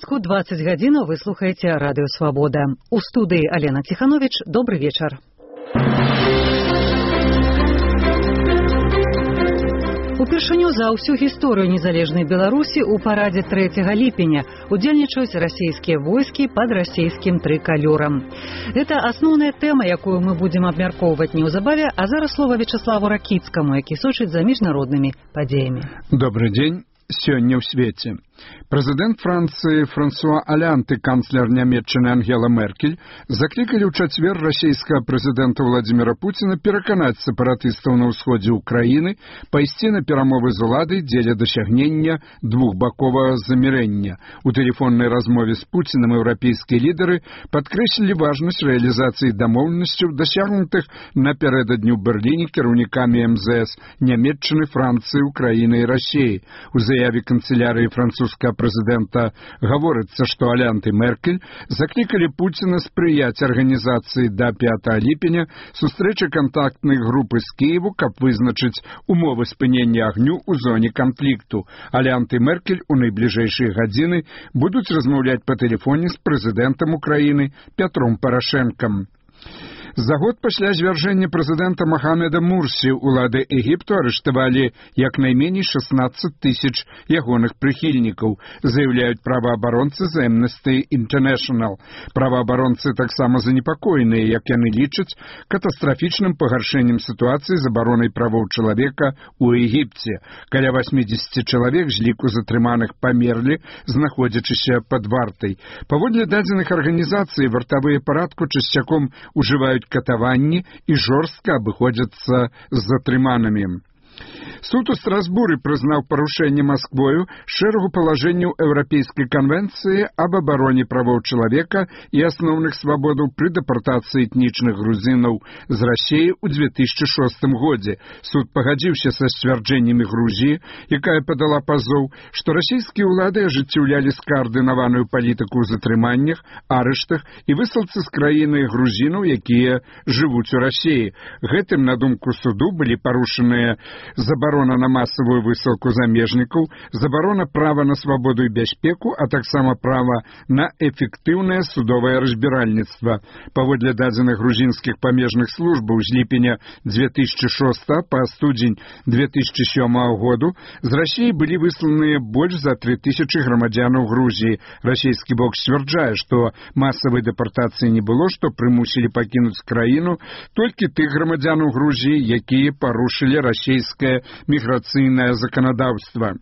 Мінску 20 гадзінаў вы слухаеце радыё Свабода. У студыі Алена Ціхановіч. Добры вечар. Упершыню за ўсю гісторыю незалежнай Беларусі ў парадзе 3 ліпеня удзельнічаюць расійскія войскі пад расійскім трыкалёрам. Гэта асноўная тэма, якую мы будзем абмяркоўваць неўзабаве, а зараз слова Вячеславу Ракіцкаму, які сочыць за міжнароднымі падзеямі. Добрый дзень. Сёння ў свеце. Прэзідэнт Францыі Франсуа Алянт і канцлер Нямецчыны Ангела Меркель заклікалі ў чацвер расійскага прэзідэнта Владзіміра Пуціна пераканаць сепаратыстаў на ўсходзе ўкраіны пайсці на перамовы з уладай дзеля дасягнення двухбаковага замірэння. У тэлефоннай размове з Пуцінам еўрапейскія лідары падкрэслілі важнасць рэалізацыі дамоўленасцяў, дасягнутых напярэдадні ў Берліне кіраўнікамі МЗС Нямецчыны, Францыі, Украіны і Расіі. У заяве канцелярыі французскага прэзідэнта гаворыцца, што Алянт і Меркель заклікалі Пуціна спрыяць арганізацыі да 5 ліпеня сустрэчы кантактнай групы з Кіеву, каб вызначыць умовы спынення агню ў зоне канфлікту. Алянт і Меркель у найбліжэйшыя гадзіны будуць размаўляць па тэлефоне з прэзідэнтам Украіны Пятром Парашэнкам. За год пасля звяржэння прэзідэнта Мохамеда Мурсі улады Егіпту арыштавалі як найменей 16 тысяч ягоных прыхільнікаў, заяўляюць праваабаронцы з Amnesty International. Праваабаронцы таксама занепакоеныя, як яны лічаць, катастрафічным пагаршэннем сітуацыі з абаронай правоў чалавека ў Егіпце. Каля 80 чалавек з ліку затрыманых памерлі, знаходзячыся пад вартай. Паводле дадзеных арганізацый, вартавыя парадку часцяком ужываюць катаванні і жорстка абыходзяцца з затрыманымі. Суд у Страсбуры прызнаў парушэнне Масквою шэрагу палажэнняў Еўрапейскай канвенцыі аб абароне правоў чалавека і асноўных свабодаў пры дэпартацыі этнічных грузінаў з Расіі ў 2006 годзе. Суд пагадзіўся са сцвярджэннямі Грузіі, якая падала пазоў, што расійскія ўлады ажыццяўлялі скаардынаваную палітыку ў затрыманнях, арыштах і высылцы з краіны грузінаў, якія жывуць у Расіі. Гэтым, на думку суду, былі парушаныя забарона на масавую высылку замежнікаў, забарона права на свабоду і бяспеку, а таксама права на эфектыўнае судовае разбіральніцтва. Паводле дадзеных грузінскіх памежных службаў з ліпеня 2006 па студзень 2007 году з Расіі былі высланыя больш за 3000 грамадзянаў Грузіі. Расійскі бок сцвярджае, што масавай дэпартацыі не было, што прымусілі пакінуць краіну толькі тых грамадзянаў Грузіі, якія парушылі расійскае міграцыйнае заканадаўства.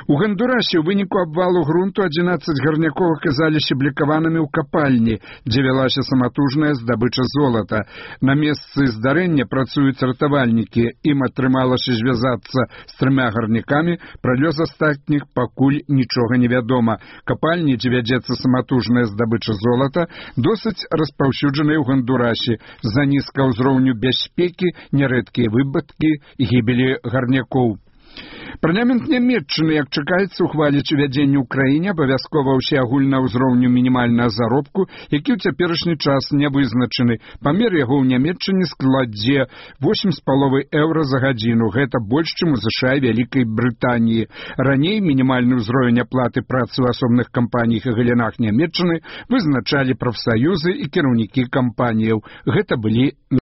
У Гондурасе ў выніку абвалу грунту 11 гарнякоў аказаліся блікаванымі ў капальні, дзе вялася саматужная здабыча золата. На месцы здарэння працуюць ратавальнікі. Ім атрымалася звязацца з 3 гарнякамі, пра лёс астатніх пакуль нічога не вядома. Капальні, дзе вядзецца саматужная здабыча золата, досыць распаўсюджаныя ў Гондурасе. З-за нізкага ўзроўню бяспекі нярэдкія выпадкі гібелі гарнякоў. Парламент Нямецчыны, як чакаецца, ухваліць увядзенне ў краіне абавязкова ўсеагульнага ўзроўню мінімальнага заробку, які ў цяперашні час не вызначаны. Памер яго ў Нямецчыне складзе 8,5 еўра за гадзіну. Гэта больш, чым у США і Вялікай Брытаніі. Раней мінімальны ўзровень аплаты працы ў асобных кампаніях і галінах Нямецчыны вызначалі прафсаюзы і кіраўнікі кампаніяў. Гэта былі